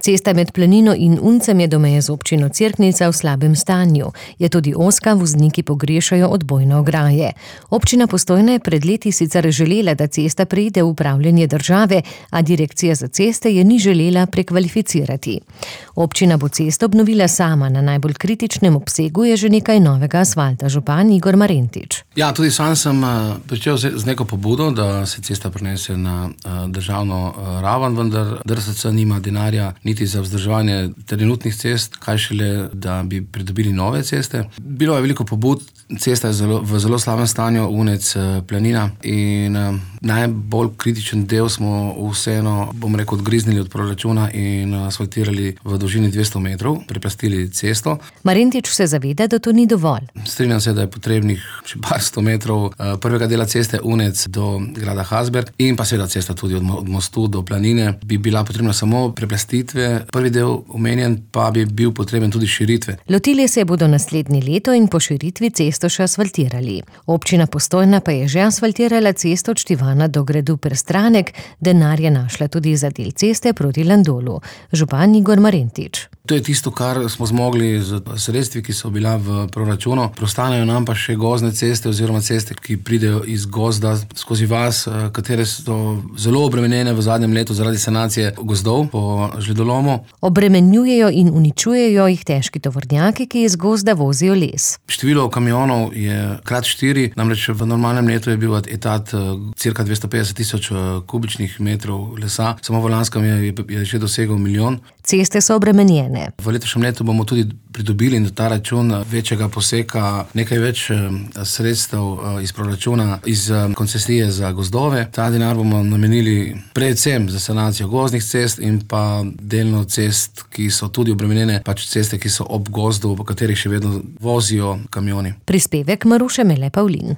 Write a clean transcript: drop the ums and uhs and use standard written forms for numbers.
Cesta med Planino in Uncem je do meje z občino Cerknica v slabem stanju. Je tudi ozka, vozniki pogrešajo odbojne ograje. Občina Postojna je pred leti sicer želela, da cesta preide v upravljanje države, a Direkcija za ceste je ni želela prekvalificirati. Občina bo cesto obnovila sama, na najbolj kritičnem obsegu je že nekaj novega asfalta. Župan Igor Marentič. Ja, tudi sam sem pričel z neko pobudo, da se cesta prenese na državno raven, vendar DRSC nima denarja niti za vzdrževanje trenutnih cest, kaj šele, da bi pridobili nove ceste. Bilo je veliko pobud, cesta je v zelo slabem stanju, Unec, Planina, in najbolj kritičen del smo vseeno, odgriznili od proračuna in asfaltirali v dolžini 200 metrov, preplastili cesto. Marentič se zaveda, da to ni dovolj. Strinjam se, da je potrebnih še par 100 metrov prvega dela ceste Unec do grada Hasberg in pa seveda cesta tudi od mostu do Planine. Bi bila potrebna samo preplastitve, prvi del omenjen pa bi bil potreben tudi širitve. Lotili se bodo naslednje leto in po širitvi cesto še asfaltirali. Občina Postojna pa je že asfaltirala cesto od Štivana do gradu Prstranek, denar je našla tudi za del ceste proti Landolu. Župan Igor Marentič. To je tisto, kar smo zmogli z sredstvi, ki so bila v proračunu. Preostanejo nam pa še gozdne ceste oziroma ceste, ki pridejo iz gozda skozi vas, katere so zelo obremenjene v zadnjem letu zaradi sanacije gozdov po žledolomu. Obremenjujejo in uničujejo jih težki tovornjaki, ki iz gozda vozijo les. Število kamionov je krat 4, namreč v normalnem letu je bil etat cirka 250,000 kubičnih metrov lesa, samo v lanskem je že dosegel 1 milijon. Ceste so obremenjene. V letošnjem letu bomo tudi pridobili na ta račun večjega poseka nekaj več sredstev iz proračuna, iz koncesije za gozdove. Ta denar bomo namenili predvsem za sanacijo gozdnih cest in pa delno cest, ki so tudi obremenjene, pač ceste, ki so ob gozdu, po katerih še vedno vozijo kamioni. Prispevek Maruše Mele Pavlin.